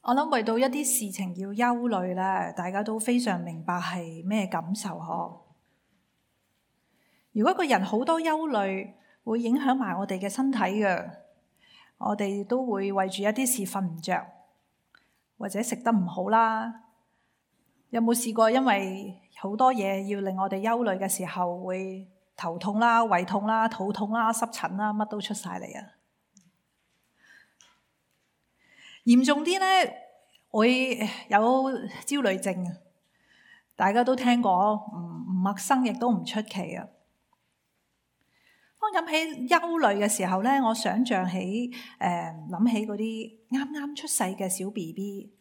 我諗為到一啲事情要憂慮咧，大家都非常明白係咩感受嗬。如果個人好多憂慮，會影響埋我哋嘅身體嘅，我哋都會為住一啲事瞓唔着，或者食得唔好啦。有冇試過因為好多嘢要令我哋憂慮嘅時候，會頭痛啦、胃痛啦、肚痛啦、濕疹啦，乜都出晒嚟啊！嚴重啲咧，會有焦慮症，大家都聽過，唔陌生，亦都唔出奇啊。當諗起憂慮嘅時候咧，我想象起諗起嗰啲啱啱出世嘅小 BB，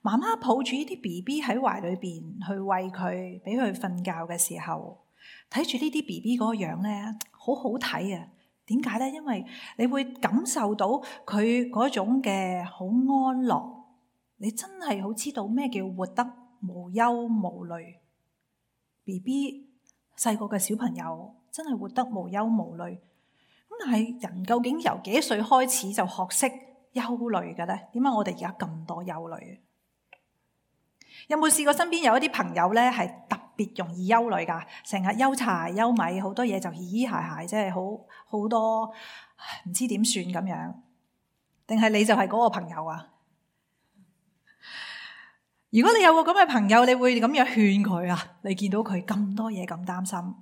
媽媽抱住呢啲 BB 喺懷裏邊去餵佢，俾佢瞓覺嘅時候，睇住呢啲 BB 嗰個樣咧，好好睇啊！點解咧？因為你會感受到佢嗰種嘅好安樂，你真係好知道咩叫活得無憂無慮。BB 細個嘅小朋友真係活得無憂無慮。咁但係人究竟由幾歲開始就學識憂慮嘅咧？點解我哋而家咁多憂慮？有冇試過身邊有一啲朋友咧係特別容易憂慮㗎？成日憂柴憂米，好多嘢就嘻嘻鞋鞋，即係好多唔知點算咁樣。定係你就係嗰個朋友啊？如果你有個咁嘅朋友，你會咁樣勸佢啊？你見到佢咁多嘢咁擔心，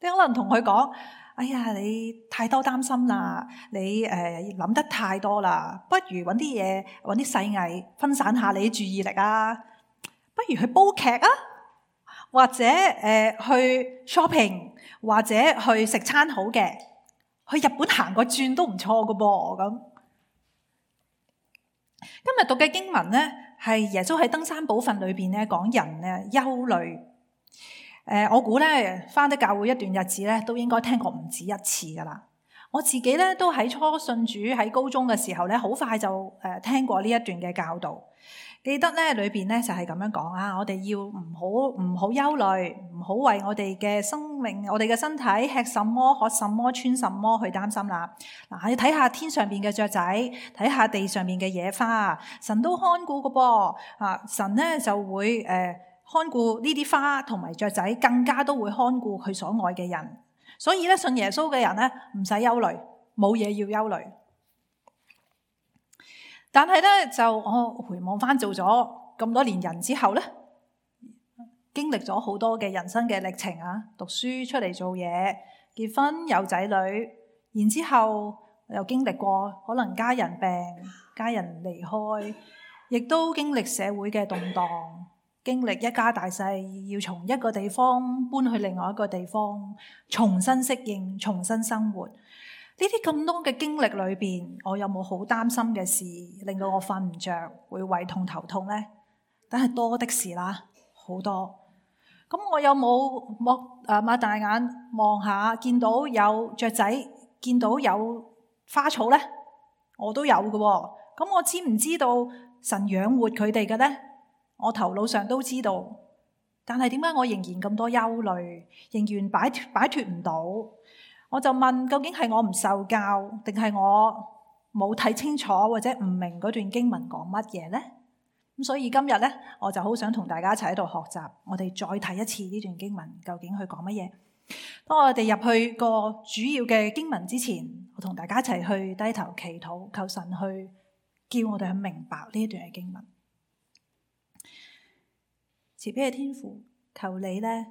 你可能同佢講：哎呀，你太多擔心啦，你諗得太多啦，不如揾啲嘢，揾啲細藝分散下你注意力啊！不如去煲劇啊，或者去 shopping， 或者去食餐好嘅，去日本行個轉都唔錯㗎噃咁。今日讀嘅經文咧，係耶穌喺登山寶訓裏邊咧講人咧憂慮。我估咧返得教會一段日子咧，都應該聽過唔止一次噶啦。我自己咧都喺初信主喺高中嘅時候咧，好快就聽過呢一段嘅教導。記得咧裏邊咧就係咁樣講啊，我哋要唔好憂慮，唔好為我哋嘅生命、我哋嘅身體吃什麼、喝什麼、穿什麼去擔心啦。嗱，你睇下天上邊嘅雀仔，睇下地上邊嘅野花，神都看顧嘅噃啊！神咧就會看顧呢啲花同埋雀仔，更加都會看顧佢所愛嘅人。所以咧，信耶穌嘅人咧唔使憂慮，冇嘢要憂慮。但係咧，就我回望翻做咗咁多年人之後咧，經歷咗好多嘅人生嘅歷程啊，讀書出嚟做嘢，結婚有仔女，然之後又經歷過可能家人病、家人離開，亦都經歷社會嘅動盪，經歷一家大細要從一個地方搬去另外一個地方，重新適應、重新生活。呢啲咁多嘅經歷裏邊，我有冇好擔心嘅事令到我瞓唔着，會胃痛頭痛呢？但係多的是啦，好多。咁我有冇擘大眼望下，見到有雀仔，見到有花草呢？我都有嘅喎。咁我知唔知道神養活佢哋嘅呢？我頭腦上都知道。但係點解我仍然咁多憂慮，仍然擺脫唔到？我就問，究竟係我唔受教，定係我冇睇清楚，或者唔明嗰段經文講乜嘢呢？咁所以今日呢，我就好想同大家一齊喺度學習，我哋再睇一次呢段經文究竟佢講乜嘢。當我哋入去個主要嘅經文之前，我同大家一齊去低頭祈禱，求神去叫我哋去明白呢一段嘅經文。慈悲嘅天父，求你呢，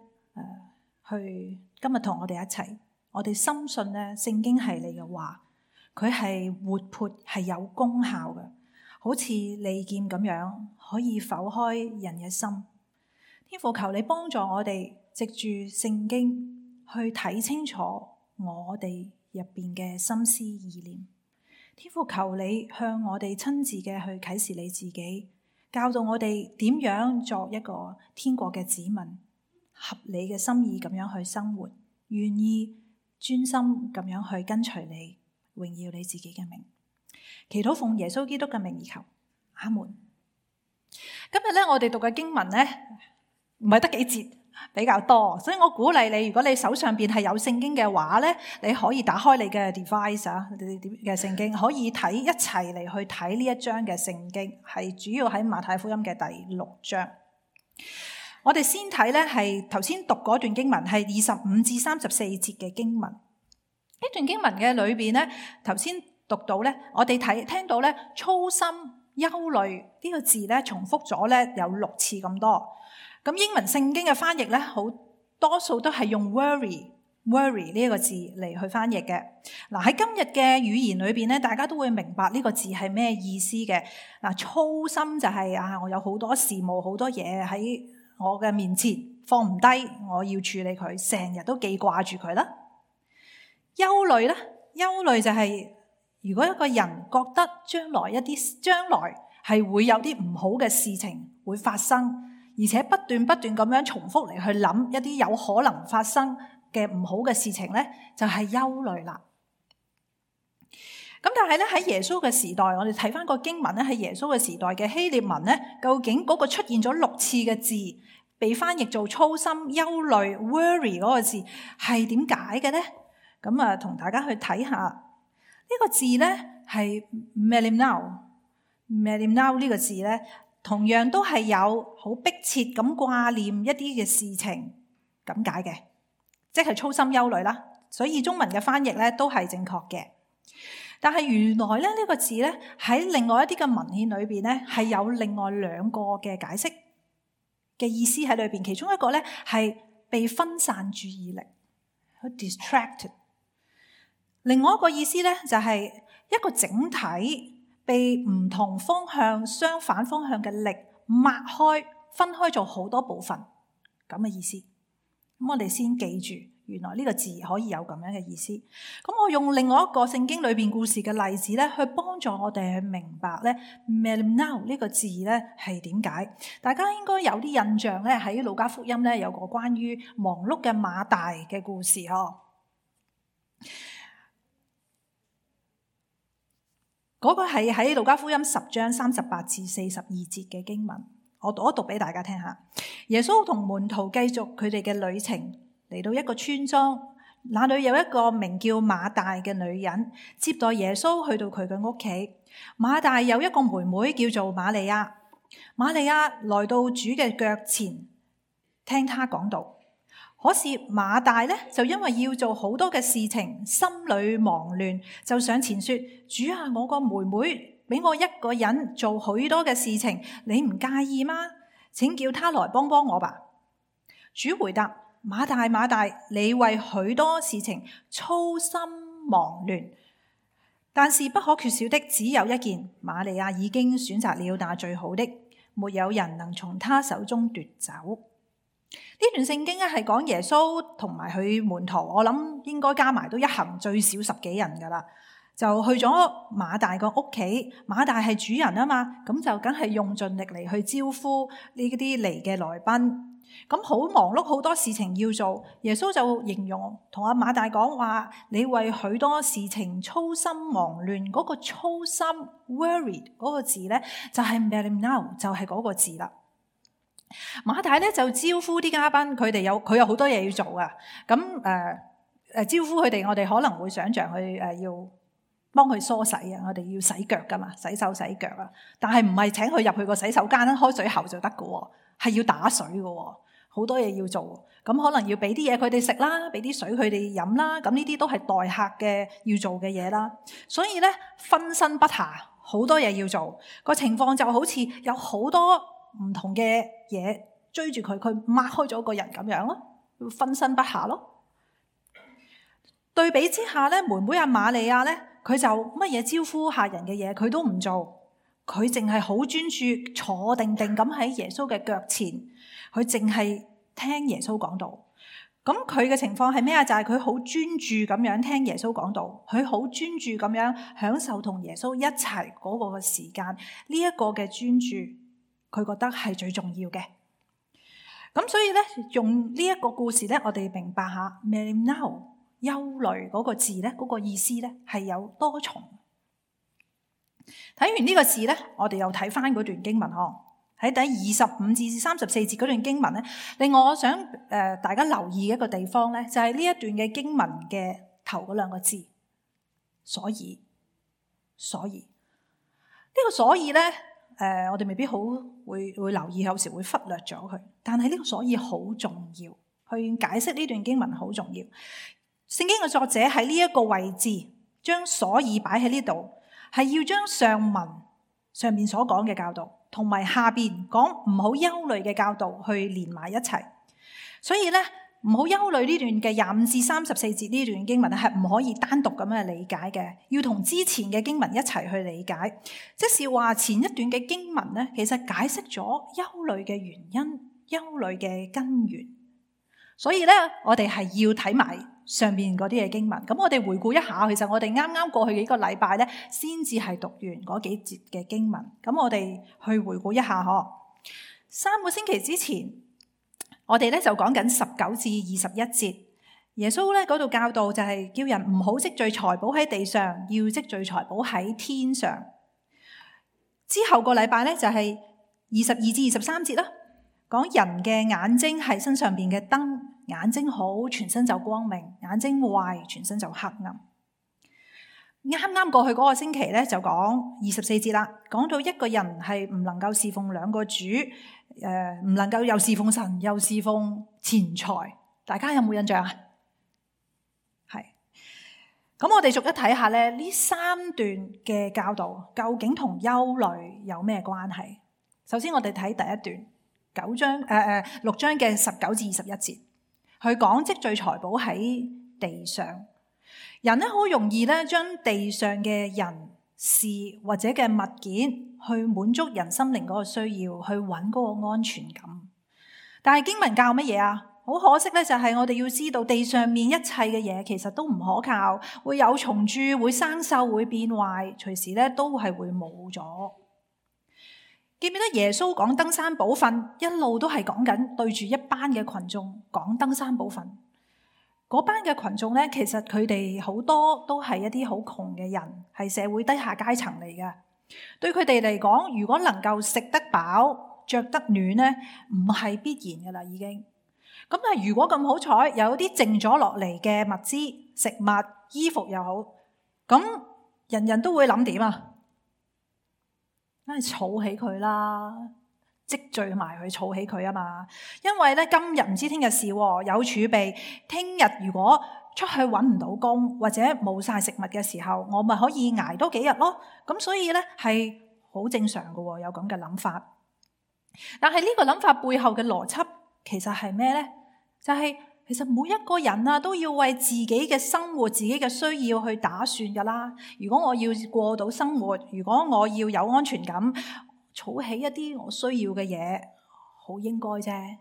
去今日同我哋一齊。我哋深信咧，聖經係你嘅話，佢係活潑，係有功效嘅，好似利劍咁樣，可以剖開人嘅心。天父，求你幫助我哋，藉住聖經去睇清楚我哋入邊嘅心思意念。天父，求你向我哋親自嘅去啟示你自己，教導我哋點樣作一個天國嘅子民，合你嘅心意咁樣去生活，願意專心咁樣去跟隨你，榮耀你自己嘅名。祈禱奉耶穌基督嘅名而求，阿門。今日咧，我哋讀嘅經文咧，唔係得幾節，比較多，所以我鼓勵你，如果你手上邊係有聖經嘅話咧，你可以打開你嘅 device 嘅聖經，可以睇一齊嚟去睇呢一章嘅聖經，係主要喺馬太福音嘅第6章。我哋先睇咧係頭先讀嗰段經文，係25至34節嘅經文。呢段經文嘅裏邊咧，頭先讀到咧，我哋聽到咧操心憂慮呢個字咧重複咗咧有6次咁多。咁英文聖經嘅翻譯咧，好多數都係用 worry 呢一個字嚟去翻譯嘅。嗱，喺今日嘅語言裏邊咧，大家都會明白呢個字係咩意思嘅。嗱，操心就係我有好多事務，好多嘢喺我嘅面前放唔低，我要處理佢，成日都記掛住佢啦。憂慮咧，憂慮就係如果一個人覺得將來係會有啲唔好嘅事情會發生，而且不斷咁樣重複嚟去諗一啲有可能發生嘅唔好嘅事情咧，就係憂慮啦。咁但係咧喺耶穌嘅時代，我哋睇翻個經文咧，喺耶穌嘅時代嘅希臘文咧，究竟嗰個出現咗6次嘅字，被翻譯做操心、憂慮、worry 嗰個字係點解嘅咧？咁同大家去睇下呢個字咧係 melimnao 呢個字咧，同樣都係有好迫切咁掛念一啲嘅事情咁解嘅，即係操心憂慮啦。所以中文嘅翻譯咧都係正確嘅。但係原來咧呢個字咧喺另外一啲嘅文獻裏邊咧係有另外2個嘅解釋嘅意思喺裏邊，其中一個咧係被分散注意力，好 distracted。另外一個意思咧就係一個整體被唔同方向、相反方向嘅力抹開、分開咗好多部分咁嘅意思。咁我哋先記住，原來呢個字可以有咁樣嘅意思。咁我用另外一個聖經裏邊故事嘅例子咧，去幫助我哋去明白咧 melimnao 呢個字咧係點解。大家應該有啲印象咧，喺路加福音咧有個關於忙碌嘅馬大嘅故事嗬。嗰個係喺路加福音10章38至42節嘅經文，我讀一讀俾大家聽下。耶穌同門徒繼續佢哋嘅旅程，嚟到一個村莊，那裏有一個名叫馬大嘅女人接待耶穌去到佢嘅屋企。馬大有一個妹妹叫做瑪利亞，瑪利亞來到主嘅腳前聽他講道。可是馬大咧就因為要做好多嘅事情，心裏忙亂，就上前說：主啊，我個妹妹俾我一個人做許多嘅事情，你唔介意嗎？請叫他來幫幫我吧。主回答：馬大，馬大，你為許多事情操心忙亂，但是不可缺少的只有一件，瑪利亞已經選擇了那最好的，沒有人能從他手中奪走。呢段聖經咧係講耶穌同埋佢門徒，我諗應該加埋都一行最少10幾人噶啦，就去咗馬大個屋企。馬大係主人啊嘛，咁就梗係用盡力嚟去招呼呢啲嚟嘅來賓。咁好忙碌，好多事情要做。耶穌就形容同阿馬大講話：你為許多事情操心忙亂。嗰個操心 worried 嗰個字咧，就係 melimnao，就係嗰個字啦。馬大咧就招呼啲嘉賓，佢有好多嘢要做啊。咁招呼佢哋，我哋可能會想象佢要幫佢梳洗啊，我哋要洗腳噶嘛，洗手洗腳啊。但係唔係請佢入去個洗手間開水喉就得噶，係要打水噶，好多嘢要做。咁可能要俾啲嘢佢哋食啦，俾啲水佢哋飲啦。咁呢啲都係待客嘅要做嘅嘢啦。所以咧分身不暇，好多嘢要做。個情況就好似有好多唔同嘅嘢追住佢擘開咗個人咁樣咯，分身不暇咯。對比之下咧，妹妹阿瑪利亞咧，佢就乜嘢招呼客人嘅嘢佢都唔做，佢淨係好專注坐定定咁喺耶穌嘅腳前，佢淨係聽耶穌講道。咁佢嘅情況係咩啊？就係佢好專注咁樣聽耶穌講道，佢好專注咁樣享受同耶穌一齊嗰個嘅時間。呢一個嘅專注，佢覺得係最重要嘅。咁所以咧，用呢一個故事咧，我哋明白下 melimnao 憂慮嗰個字咧，嗰個意思咧係有多重。睇完呢個字咧，我哋又睇翻嗰段經文喺第25至34節嗰段經文咧，令我想大家留意一個地方咧，就係呢一段嘅經文嘅頭嗰兩個字，所以呢個所以咧，我哋未必好會留意，有時會忽略咗佢。但係呢個所以好重要，去解釋呢段經文好重要。聖經嘅作者喺呢一個位置將所以擺喺呢度，係要將上文上面所講嘅教導同埋下邊講唔好憂慮嘅教導去連埋一齊。所以咧，唔好憂慮呢段嘅25至34節呢段經文係唔可以單獨咁樣理解嘅，要同之前嘅經文一齊去理解。即是話前一段嘅經文咧，其實解釋咗憂慮嘅原因、憂慮嘅根源。所以咧，我哋係要睇埋上面嗰啲嘅經文。咁我哋回顧一下，其實我哋啱啱過去幾個禮拜咧，先至係讀完嗰幾節嘅經文。咁我哋去回顧一下嗬。3個星期之前，我哋咧就講緊19至21節。耶穌咧嗰度教導就係叫人唔好積聚財寶喺地上，要積聚財寶喺天上。之後個禮拜咧就係22至23節啦，講人嘅眼睛係身上邊嘅燈，眼睛好全身就光明，眼睛壞全身就黑暗。啱啱過去嗰個星期咧就講24節啦，講到一個人係唔能夠侍奉兩個主，唔能夠又侍奉神又侍奉錢財。大家有冇印象啊？係。咁我哋逐一睇下咧，呢3段嘅教導究竟同憂慮有咩關係？首先我哋睇第一段6章嘅19至21節，佢講積聚財寶喺地上。人咧好容易咧將地上嘅人事或者嘅物件去滿足人心靈嗰個需要，去揾嗰個安全感。但係經文教乜嘢啊？好可惜咧，就係我哋要知道地上面一切嘅嘢其實都唔可靠，會有蟲蛀，會生鏽，會變壞，隨時咧都係會冇咗。記唔記得耶穌講登山寶訓，一路都係講緊對住一班嘅群眾講登山寶訓。嗰班嘅群眾咧，其實佢哋好多都係一啲好窮嘅人，係社會低下階層嚟嘅。對佢哋嚟講，如果能夠食得飽、着得暖咧，唔係必然噶啦，已經。咁但係如果咁好彩，有啲剩咗落嚟嘅物資、食物、衣服又好，咁人人都會諗點啊？梗係儲起佢啦，積聚埋佢，儲起佢啊嘛。因為咧今日唔知聽日事，有儲備。聽日如果出去揾唔到工或者冇晒食物嘅時候，我咪可以捱多幾日咯。咁所以咧係好正常嘅，有咁嘅諗法。但係呢個諗法背後嘅邏輯其實係咩咧？就係其實每一個人啊都要為自己嘅生活、自己嘅需要去打算噶啦。如果我要過到生活，如果我要有安全感，儲起一啲我需要嘅嘢，好應該啫。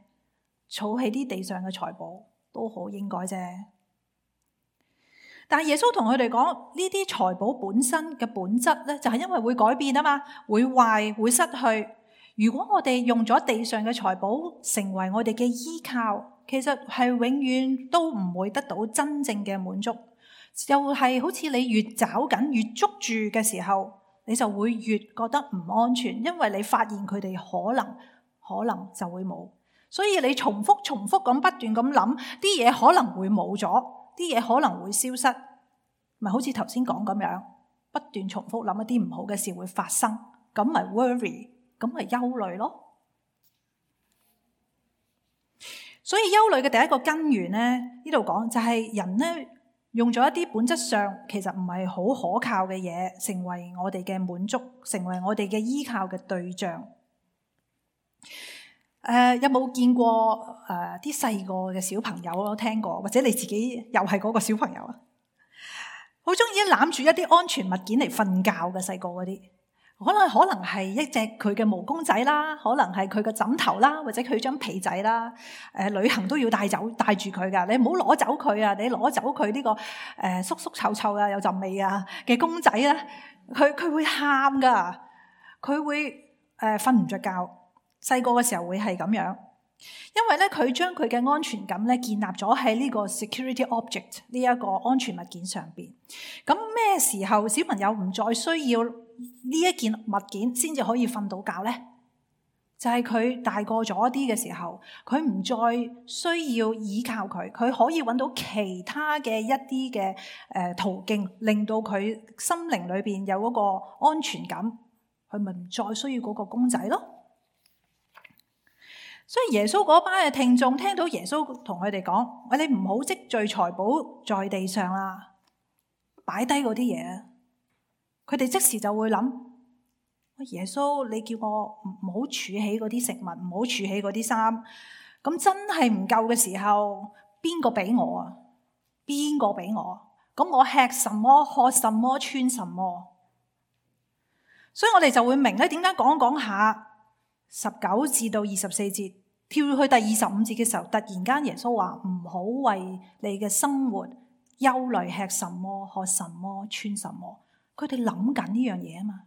儲起啲地上嘅財寶都好應該啫。但係耶穌同佢哋講，呢啲財寶本身嘅本質咧，就係因為會改變啊嘛，會壞，會失去。如果我哋用咗地上嘅財寶成為我哋嘅依靠，其實係永遠都唔會得到真正嘅滿足。就係好似你越找緊越捉住嘅時候，你就會越覺得唔安全，因為你發現佢哋可能就會冇。所以你重複咁不斷咁諗，啲嘢可能會冇咗，啲嘢可能會消失，咪好似頭先講咁樣，不斷重複諗一啲唔好嘅事會發生，咁咪 worry， 咁咪憂慮咯。所以憂慮嘅第一個根源咧，呢度講就係人咧用咗一啲本質上其實唔係好可靠嘅嘢，成為我哋嘅滿足，成為我哋嘅依靠嘅對象。有冇見過啲細個嘅小朋友都聽過，或者你自己又係嗰個小朋友啊？好中意攬住一啲安全物件嚟瞓覺嘅細個嗰啲，可能係一隻佢嘅毛公仔啦，可能係佢嘅枕頭啦，或者佢張被仔啦。旅行都要帶住佢噶，你唔好攞走佢啊！你攞走佢呢個縮縮臭臭啊，有陣味啊嘅公仔咧，佢會喊噶，佢會瞓唔着覺。細個嘅時候會係咁樣，因為咧佢將佢嘅安全感咧建立咗喺呢個 security object 呢一個安全物件上邊。咁咩時候小朋友唔再需要呢一件物件先至可以瞓到覺咧？就係佢大個咗啲嘅時候，佢唔再需要依靠佢，佢可以揾到其他嘅一啲嘅途徑，令到佢心靈裏邊有嗰個安全感，佢咪唔再需要嗰個公仔咯。所以耶穌嗰班嘅聽眾聽到耶穌同佢哋講：喂，你唔好積聚財寶在地上啦，擺低嗰啲嘢。佢哋即時就會諗：耶穌，你叫我唔好儲起嗰啲食物，唔好儲起嗰啲衫。咁真係唔夠嘅時候，邊個俾我啊？邊個俾我？咁我吃什麼、喝什麼、穿什麼？所以我哋就會明咧，點解講下19至到24節，跳去第25節嘅時候，突然間耶穌話唔好為你嘅生活憂慮，吃什麼、喝什麼、穿什麼。佢哋諗緊呢樣嘢啊嘛。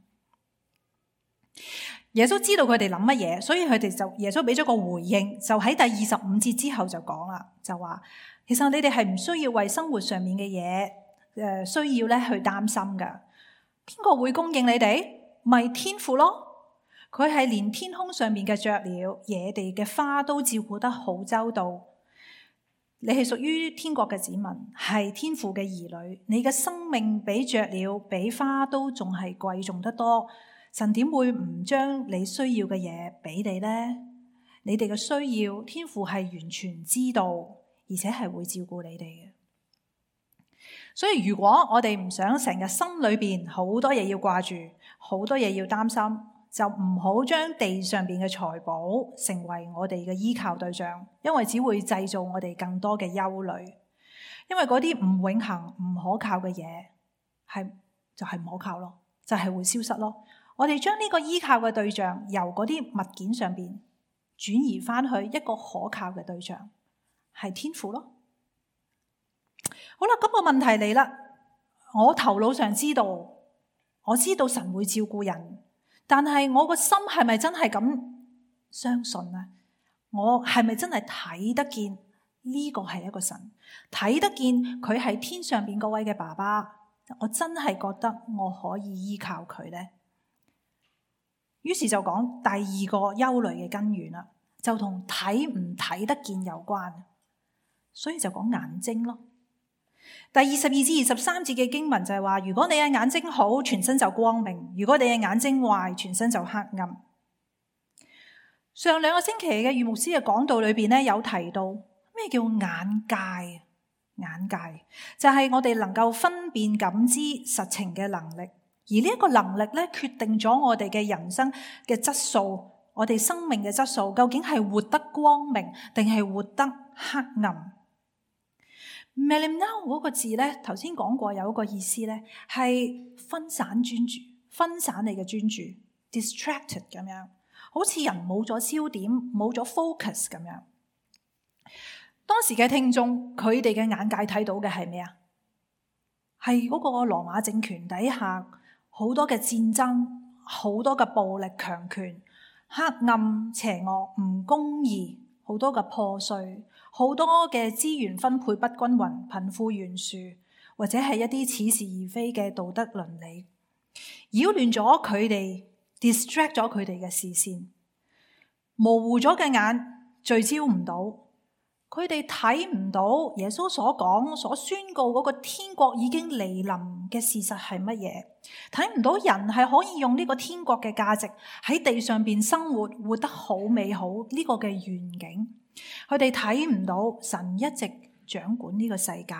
耶穌知道佢哋諗乜嘢，所以耶穌俾咗個回應，就喺第25節之後就講啦，就話其實你哋係唔需要為生活上面嘅嘢需要咧去擔心噶。邊個會供應你哋？咪天父咯。佢係連天空上面嘅雀鳥、野地嘅花都照顧得好周到。你係屬於天國嘅子民，係天父嘅兒女。你嘅生命比雀鳥、比花都仲係貴重得多。神點會唔將你需要嘅嘢俾你呢？你哋嘅需要，天父係完全知道，而且係會照顧你哋嘅。所以如果我哋唔想成日心裏邊好多嘢要掛住，好多嘢要擔心，就唔好將地上邊嘅財寶成為我哋嘅依靠對象，因為只會製造我哋更多嘅憂慮。因為嗰啲唔永恆、唔可靠嘅嘢，就係唔可靠咯，就係會消失咯。我哋將呢個依靠嘅對象由嗰啲物件上邊轉移翻去一個可靠嘅對象，係天父咯。好啦，咁個問題嚟啦。我頭腦上知道，我知道神會照顧人，但係我個心係咪真係咁相信呢？我係咪真係睇得見呢個係一個神，睇得見佢係天上邊嗰位嘅爸爸？我真係覺得我可以依靠佢呢？於是就講第二個憂慮嘅根源啦，就同睇唔睇得見有關，所以就講眼睛咯。第22至23節嘅經文就係話，如果你嘅眼睛好，全身就光明；如果你嘅眼睛壞，全身就黑暗。上2個星期嘅余牧師嘅講道裏邊咧，有提到咩叫眼界？眼界就係我哋能夠分辨感知實情嘅能力。而呢一個能力咧，決定咗我哋嘅人生嘅質素，我哋生命嘅質素，究竟係活得光明定係活得黑暗？Melimnao 嗰個字咧，頭先講過有一個意思咧，係分散專注，分散你嘅專注 ，distracted 咁樣，好似人冇咗焦點，冇咗 focus 咁樣。當時嘅聽眾，佢哋嘅眼界睇到嘅係咩啊？係嗰個羅馬政權底下好多嘅戰爭，好多嘅暴力強權，黑暗邪惡唔公義，好多嘅破碎，好多嘅資源分配不均勻，貧富懸殊，或者係一啲似是而非嘅道德倫理，擾亂咗佢哋 distract 咗佢哋嘅視線，模糊咗嘅眼聚焦唔到。佢哋睇唔到耶穌所講、所宣告嗰個天國已經嚟臨嘅事實係乜嘢，睇唔到人係可以用呢個天國嘅價值喺地上邊生活，活得好美好呢個嘅願景。佢哋睇唔到神一直掌管呢個世界。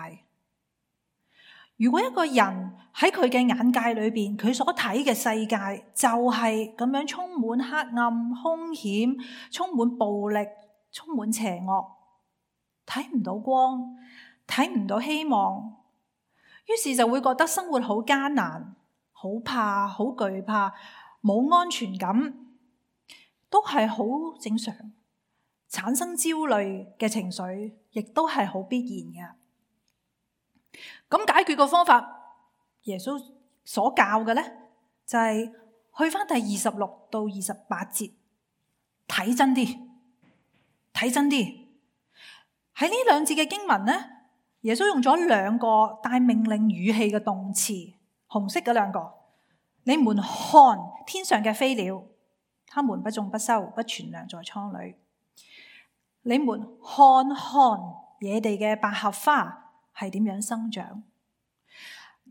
如果一個人喺佢嘅眼界裏邊，佢所睇嘅世界就係咁樣充滿黑暗、兇險、充滿暴力、充滿邪惡，睇唔到光，睇唔到希望，於是就會覺得生活好艱難，好怕，好懼怕，冇安全感，都係好正常。產生焦慮嘅情緒，亦都係好必然嘅。咁解決個方法，耶穌所教嘅咧，就係去翻第26到28節，睇真啲，睇真啲。喺呢兩節嘅經文咧，耶穌用咗兩個帶命令語氣嘅動詞，紅色嗰兩個。你們看天上嘅飛鳥，他們不種不收，不存糧在倉裏。你們看看野地嘅百合花係點樣生長。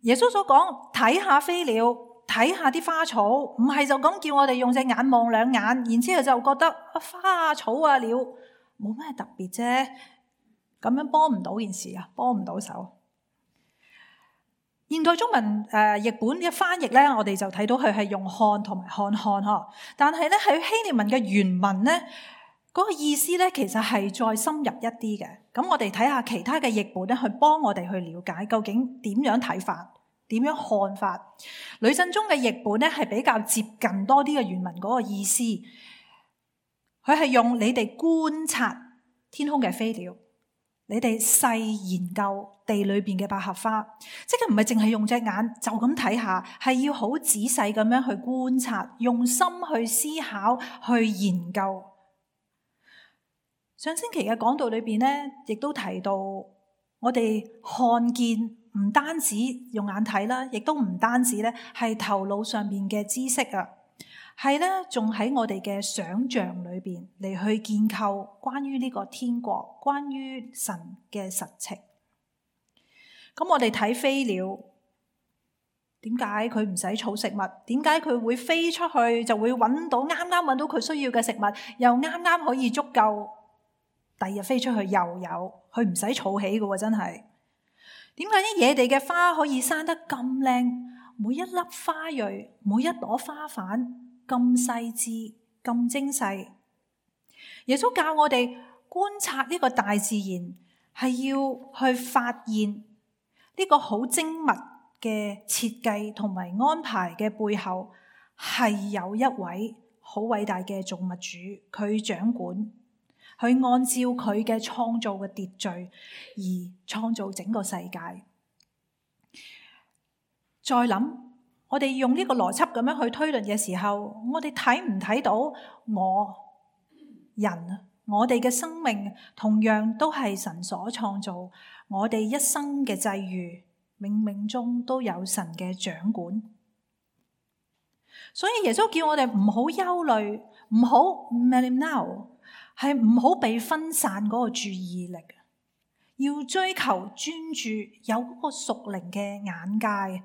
耶穌所講，睇下飛鳥，睇下啲花草，唔係就咁叫我哋用隻眼望兩眼，然之後就覺得花草啊鳥冇咩特別啫，咁樣幫唔到件事啊，幫唔到手。現代中文譯本嘅翻譯咧，我哋就睇到佢係用看同埋看呵，但係咧喺希臘文嘅原文咧，嗰個意思咧其實係再深入一啲嘅。咁我哋睇下其他嘅譯本咧，去幫我哋去了解究竟點樣睇法，點樣看法。呂振中嘅譯本咧係比較接近多啲嘅原文嗰個意思，佢係用你哋觀察天空嘅飛鳥，你哋細研究地裏邊嘅百合花，即係唔係淨係用隻眼就咁睇下，係要好仔細咁樣去觀察，用心去思考，去研究。上星期嘅講道裏邊咧，亦都提到我哋看見唔單止用眼睇啦，亦都唔單止咧係頭腦上面嘅知識啊，係咧仲喺我哋嘅想象裏邊嚟去建構關於呢個天國，關於神嘅實情。咁我哋睇飛鳥，點解佢唔使儲食物？點解佢會飛出去就會啱啱揾到佢需要嘅食物，又啱啱可以足夠？第二日飛出去又有，佢唔使儲起嘅，真係。點解啲野地嘅花可以生得咁靚？每一粒花蕊，每一朵花瓣咁細緻、咁精細。耶穌教我哋觀察呢個大自然，係要去發現呢個好精密嘅設計同埋安排嘅背後，係有一位好偉大嘅造物主，佢掌管。去按照佢嘅創造嘅秩序而創造整個世界。再諗，我哋用呢個邏輯咁樣去推論嘅時候，我哋睇唔睇到我哋嘅生命同樣都係神所創造，我哋一生嘅際遇，冥冥中都有神嘅掌管。所以耶穌叫我哋唔好憂慮，唔好 melimnao，係唔好被分散嗰個注意力，要追求專注，有嗰個屬靈嘅眼界，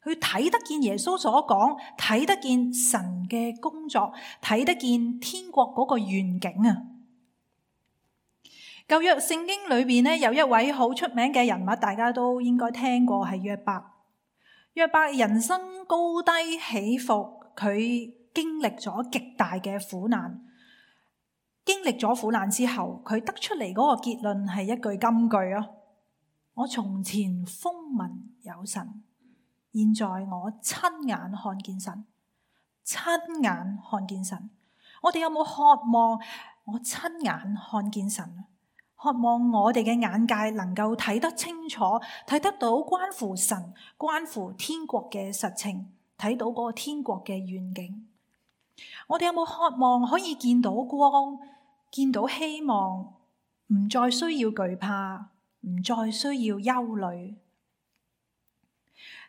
去睇得見耶穌所講，睇得見神嘅工作，睇得見天國嗰個願景啊！舊約聖經裏邊咧，有一位好出名嘅人物，大家都應該聽過，係約伯。約伯人生高低起伏，佢經歷咗極大嘅苦難。經歷咗苦難之後，佢得出嚟嗰個結論係一句金句啊！我從前風聞有神，現在我親眼看見神，親眼看見神。我哋有冇渴望我親眼看見神？渴望我哋嘅眼界能夠睇得清楚，睇得到關乎神、關乎天國嘅實情，睇到嗰個天國嘅願景。我哋有冇渴望可以見到光，見到希望，唔再需要懼怕，唔再需要憂慮？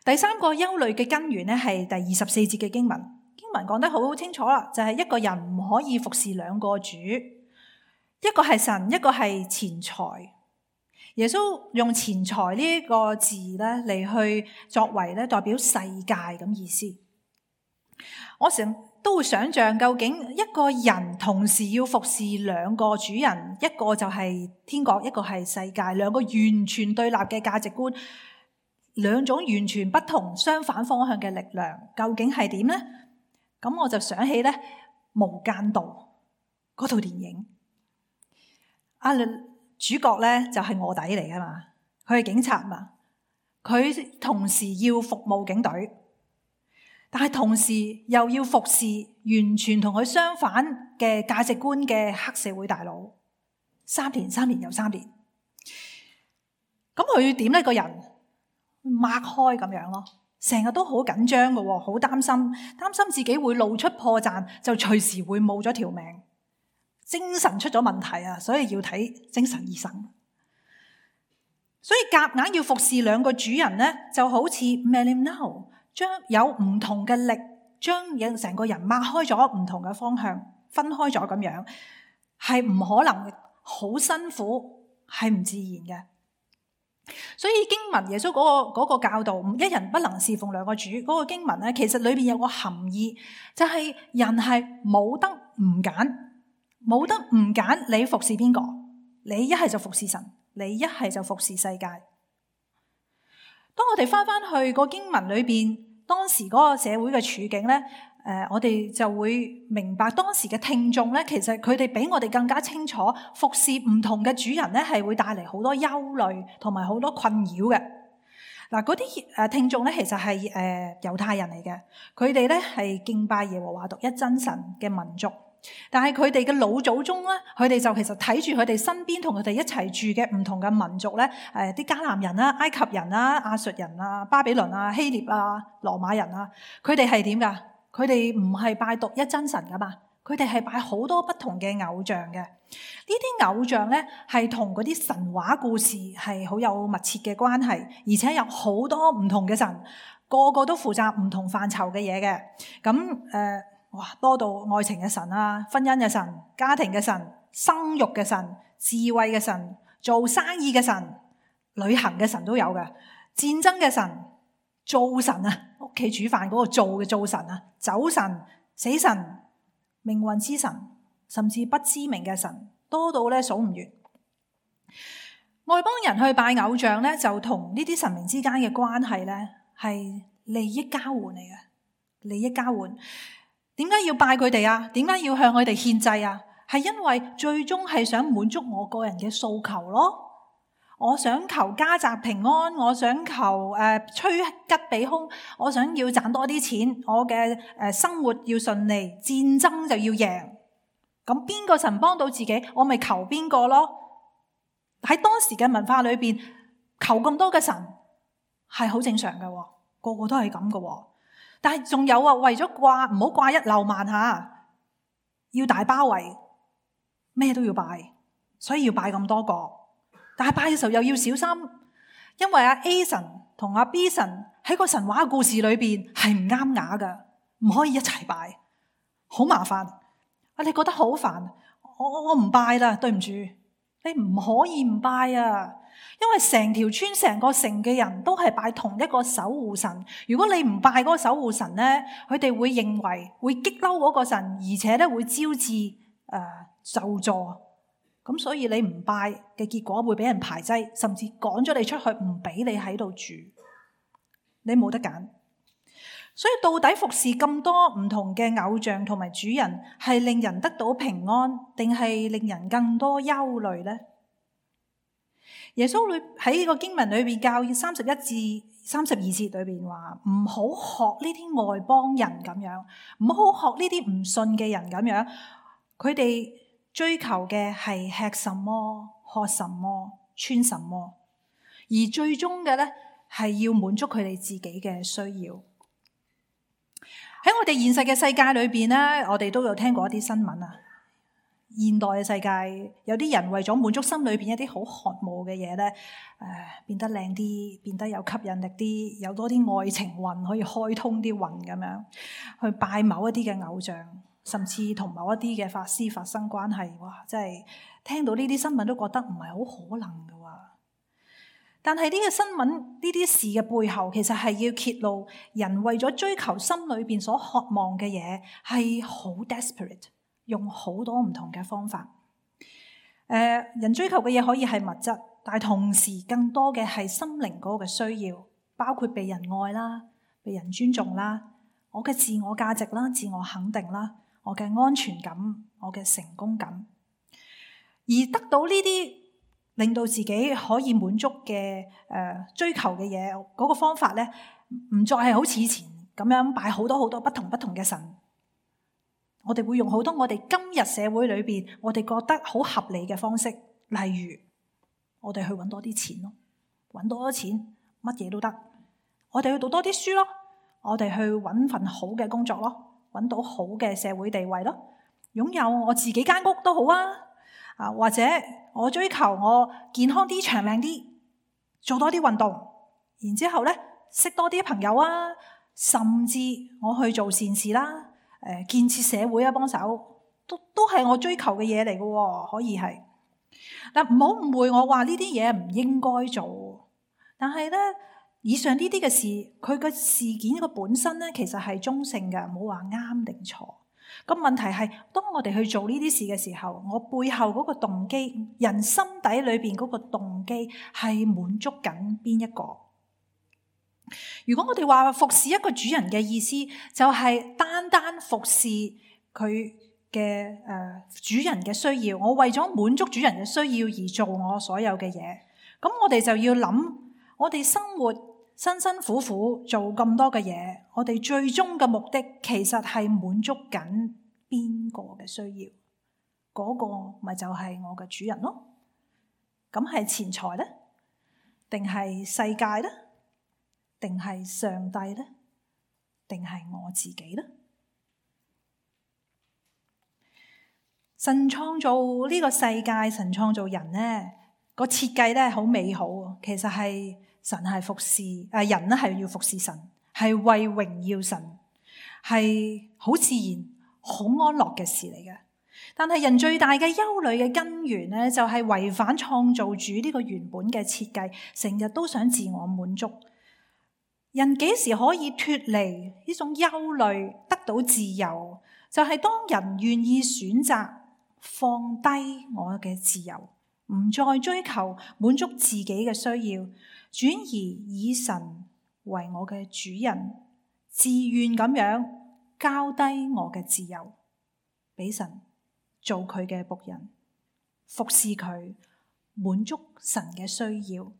第三個憂慮嘅根源咧，係第24節嘅經文。經文講得好清楚啦，就係一個人唔可以服侍兩個主，一個係神，一個係錢財。耶穌用錢財呢個字咧嚟去作為咧代表世界咁意思。我成都會想象，究竟一個人同時要服侍兩個主人，一個就係天國，一個係世界，兩個完全對立嘅價值觀，兩種完全不同相反方向嘅力量，究竟係點呢？咁我就想起咧《無間道》嗰套電影，主角咧就係臥底嚟噶嘛，佢係警察嘛，佢同時要服務警隊，但係同時又要服侍完全同佢相反嘅價值觀嘅黑社會大佬，3年又3年。咁佢點呢？個人擘開咁樣咯，成日都好緊張嘅，好擔心自己會露出破綻，就隨時會冇咗條命，精神出咗問題啊！所以要睇精神醫生。所以夾硬要服侍兩個主人呢，就好似 Melimnao 將有唔同嘅力將成個人擘開咗唔同嘅方向，分開咗咁樣，係唔可能嘅，好辛苦，係唔自然嘅。所以經文耶穌嗰個教導，一人不能侍奉兩個主，嗰個經文咧，其實裏邊有個含義，就係人係冇得唔揀，冇得唔揀，你服侍邊個？你一係就服侍神，你一係就服侍世界。當我哋翻去個經文裏邊，當時嗰個社會嘅處境咧，我哋就會明白當時嘅聽眾咧，其實佢哋比我哋更加清楚，服侍唔同嘅主人咧，係會帶嚟好多憂慮同埋好多困擾嘅。嗱，嗰啲聽眾咧，其實係猶太人嚟嘅，佢哋咧係敬拜耶和華獨一真神嘅民族。但係佢哋嘅老祖宗咧，佢哋就其實睇住佢哋身邊同佢哋一齊住嘅唔同嘅民族咧，啲迦南人啦、埃及人啦、亞述人啊、巴比倫啊、希臘啊、羅馬人啊，佢哋係點噶？佢哋唔係拜獨一真神噶嘛，佢哋係拜好多不同嘅偶像嘅。呢啲偶像咧係同嗰啲神話故事係好有密切嘅關係，而且有好多唔同嘅神，個個都負責唔同範疇嘅嘢嘅。咁哇，多到愛情嘅神啊，婚姻嘅神，家庭嘅神，生育嘅神，智慧嘅神，做生意嘅神，旅行嘅神都有嘅，戰爭嘅神，灶神啊，屋企煮飯嗰個灶嘅灶神啊，酒神、死神、命運之神，甚至不知名嘅神，多到咧數唔完。外邦人去拜偶像咧，就同呢啲神明之間嘅關係咧係利益交換嚟嘅，利益交換。點解要拜佢哋啊？點解要向佢哋獻祭啊？係因為最終係想滿足我個人嘅訴求咯。我想求家宅平安，我想求趨吉避凶，我想要賺多啲錢，我嘅生活要順利，戰爭就要贏。咁邊個神幫到自己，我咪求邊個咯。喺當時嘅文化裏邊，求咁多嘅神係好正常嘅，個個都係咁嘅。但係仲有啊，為咗掛唔好掛一漏萬下，要大包圍，咩都要拜，所以要拜咁多個。但係拜嘅時候又要小心，因為阿 A 神同阿 B 神喺個神話故事裏邊係唔啱牙噶，唔可以一齊拜，好麻煩。你覺得好煩，我唔拜啦，對唔住，你唔可以唔拜啊！因為成條村成個城嘅人都係拜同一個守護神，如果你唔拜嗰個守護神咧，佢哋會認為會激嬲嗰個神，而且咧會招致咒詛。咁所以你唔拜嘅結果會俾人排擠，甚至趕咗你出去，唔俾你喺度住，你冇得揀。所以到底服侍咁多唔同嘅偶像同埋主人，係令人得到平安，定係令人更多憂慮呢？耶穌喺呢個經文裏邊教31至32節裏邊話，唔好學呢啲外邦人咁樣，唔好學呢啲唔信嘅人咁樣。佢哋追求嘅係吃什麼、喝什麼、穿什麼，而最終嘅咧係要滿足佢哋自己嘅需要。喺我哋現實嘅世界裏邊咧，我哋都有聽過一啲新聞啊。現代嘅世界，有啲人為咗滿足心裏邊一啲好渴慕嘅嘢咧，變得靚啲，變得有吸引力啲，有多啲愛情運可以開通啲運咁樣，去拜某一啲嘅偶像，甚至同某一啲嘅法師發生關係。哇！真係聽到呢啲新聞都覺得唔係好可能㗎喎。但係呢個新聞呢啲事嘅背後，其實係要揭露人為咗追求心裏邊所渴望嘅嘢，係好 desperate。用好多唔同嘅方法，人追求嘅嘢可以係物質，但係同時更多嘅係心靈嗰個嘅需要，包括被人愛啦、被人尊重啦、我嘅自我價值啦、自我肯定啦、我嘅安全感、我嘅成功感，而得到呢啲令到自己可以滿足嘅追求嘅嘢，嗰個方法咧，唔再係好似以前咁樣拜好多好多不同嘅神。我哋會用好多我哋今日社會裏邊我哋覺得好合理嘅方式，例如我哋去揾多啲錢咯，揾多啲錢乜嘢都得。我哋去讀多啲書咯，我哋去揾份好嘅工作咯，揾到好嘅社會地位咯，擁有我自己間屋都好啊，或者我追求我健康啲、長命啲，做多啲運動，然之後咧識多啲朋友啊，甚至我去做善事啦，建設社會啊，幫手都係我追求嘅嘢嚟嘅，可以係。嗱，唔好誤會我話呢啲嘢唔應該做，但係咧，以上呢啲嘅事，佢嘅事件個本身咧，其實係中性嘅，冇話啱定錯。咁問題係，當我哋去做呢啲事嘅時候，我背後嗰個動機，人心底裏邊嗰個動機係滿足緊邊一個？如果我哋話服侍一個主人嘅意思，就係單單服侍佢嘅主人嘅需要，我為咗滿足主人嘅需要而做我所有嘅嘢，咁我哋就要諗，我哋生活辛辛苦苦做咁多嘅嘢，我哋最終嘅目的其實係滿足緊邊個嘅需要？嗰個咪就係我嘅主人咯。咁係錢財呢？定係世界呢？定係上帝呢？定係我自己呢？神創造呢個世界，神創造人呢個設計咧好美好。其實係神係服侍，人咧係要服侍神，係為榮耀神，係好自然、好安樂嘅事嚟嘅。但係人最大嘅憂慮嘅根源咧，就係違反創造主呢個原本嘅設計，成日都想自我滿足。人幾時可以脫離呢種憂慮，得到自由？就係當人願意選擇放低我嘅自由，唔再追求滿足自己嘅需要，轉而以神為我嘅主人，自願咁樣交低我嘅自由，俾神做佢嘅僕人，服侍佢，滿足神嘅需要。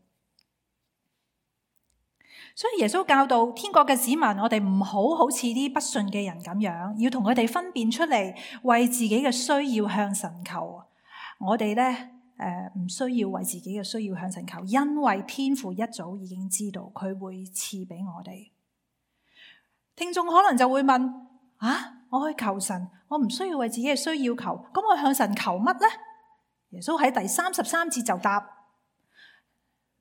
所以耶穌教導天國嘅子民，我哋唔好好似啲不信嘅人咁樣，要同佢哋分辨出嚟，為自己嘅需要向神求。我哋咧唔需要為自己嘅需要向神求，因為天父一早已經知道佢會賜俾我哋。聽眾可能就會問：我去求神，我唔需要為自己嘅需要求，咁我向神求乜呢？耶穌喺第33節就答：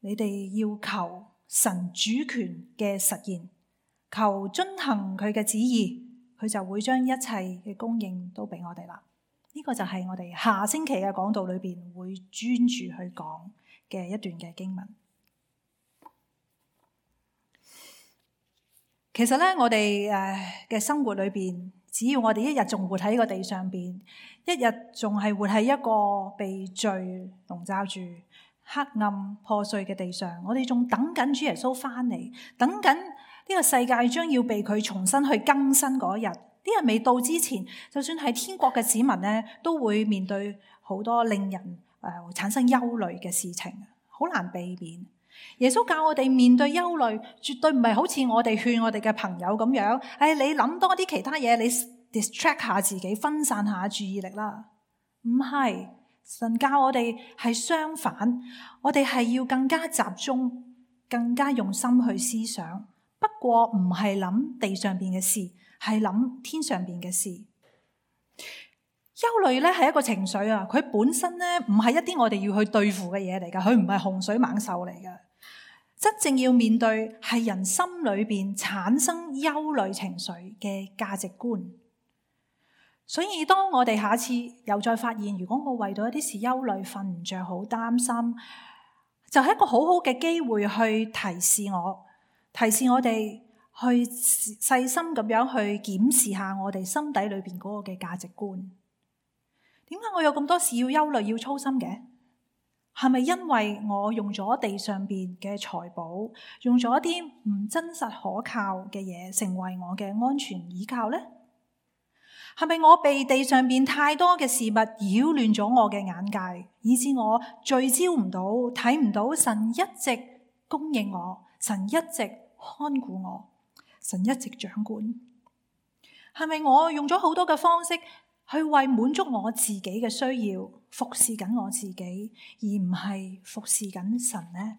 你哋要求神主權嘅實現，求遵行佢嘅旨意，佢就會將一切嘅供應都俾我哋啦。呢個就係我哋下星期嘅講道裏邊會專注去講嘅一段嘅經文。其實咧，我哋嘅生活裏邊，只要我哋一日仲活喺呢個地上邊，一日仲係活喺一個被罪籠罩住、黑暗破碎嘅地上，我哋仲等緊主耶穌翻嚟，等緊呢個世界將要被佢重新去更新嗰日。啲人未到之前，就算係天國嘅子民咧，都會面對好多令人產生憂慮嘅事情，好難避免。耶穌教我哋面對憂慮，絕對唔係好似我哋勸我哋嘅朋友咁樣，你諗多啲其他嘢，你 distract 下自己，分散下注意力啦。唔係，神教我哋係相反，我哋係要更加集中，更加用心去思想。不過唔係諗地上邊嘅事，係諗天上邊嘅事。憂慮咧係一個情緒啊，佢本身咧唔係一啲我哋要去對付嘅嘢嚟噶，佢唔係洪水猛獸嚟噶。真正要面對係人心裏邊產生憂慮情緒嘅價值觀。所以當我哋下次又再發現，如果我為到一啲事憂慮、瞓唔着、好擔心，就係一個好好嘅機會去提示我哋去細心咁樣去檢視下我哋心底裏邊嗰個嘅價值觀。點解我有咁多事要憂慮、要操心嘅？係咪因為我用咗地上邊嘅財寶，用咗一啲唔真實可靠嘅嘢，成為我嘅安全依靠呢？係咪我被地上邊太多嘅事物擾亂咗我嘅眼界，以致我聚焦唔到、睇唔到神一直供應我，神一直看顧我，神一直掌管？係咪我用咗好多嘅方式去為滿足我自己嘅需要，服侍緊我自己，而唔係服侍緊神呢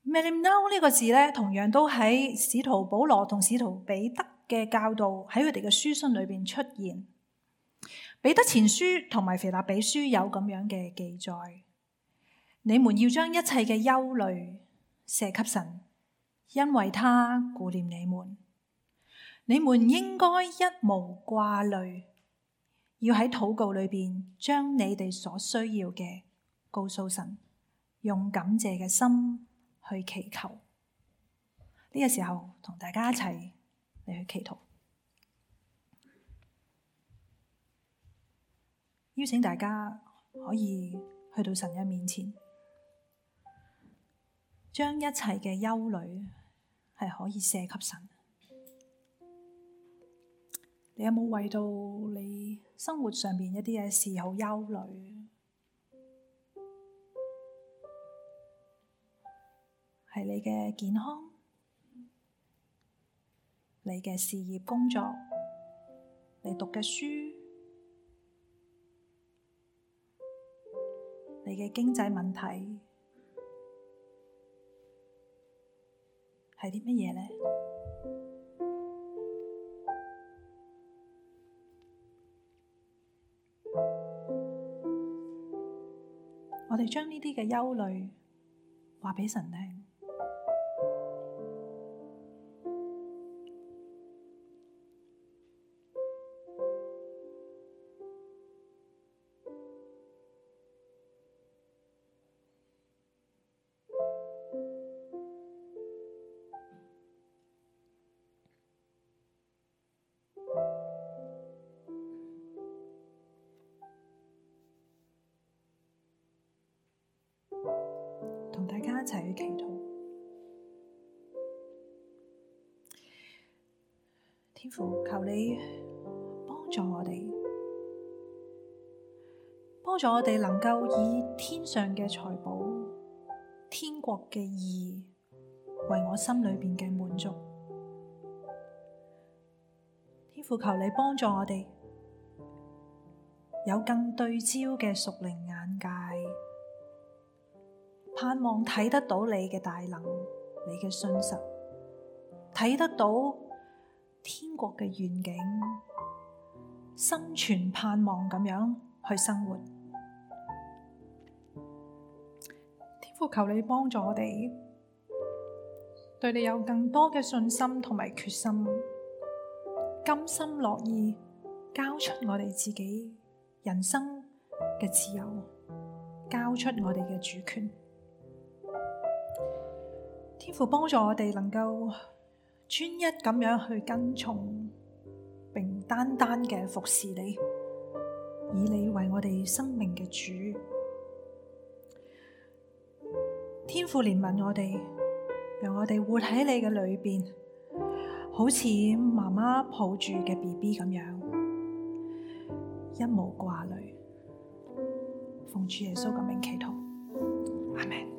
？Melimnao 呢個字咧，同樣都喺使徒保羅同使徒彼得嘅教導喺佢哋嘅書信裏邊出現。彼得前書同埋腓立比書有咁樣嘅記載。你們要將一切嘅憂慮卸給神，因為他顧念你們。你們應該一無掛慮，要喺禱告裏邊將你哋所需要嘅告訴神，用感謝嘅心去祈求。呢個時候同大家一齊嚟去祈禱，邀請大家可以去到神嘅面前，將一切嘅憂慮係可以卸給神。你有冇為到你生活上面一啲嘅事好憂慮？係你嘅健康、你嘅事業工作、你讀嘅書、你嘅經濟問題，係啲乜嘢呢？我哋將呢啲嘅憂慮話俾神聽。同大家一齊去祈禱。天父，求你幫助我哋，幫助我哋能夠以天上嘅財寶、天國嘅義為我心裏邊嘅滿足。天父，求你幫助我哋有更對焦嘅屬靈眼界，盼望睇得到你嘅大能，你嘅信實，睇得到天國嘅願景，心存盼望咁樣去生活。天父，求你幫助我哋，對你有更多嘅信心同埋決心，甘心樂意交出我哋自己人生嘅自由，交出我哋嘅主權。天父，幫助我哋能夠專一咁樣去跟從，並單單嘅服侍你，以你為我哋生命嘅主。天父，憐憫我哋，讓我哋活喺你嘅裏邊，好似媽媽抱住嘅 BB 咁樣，一無掛慮。奉主耶穌嘅名祈禱，阿們。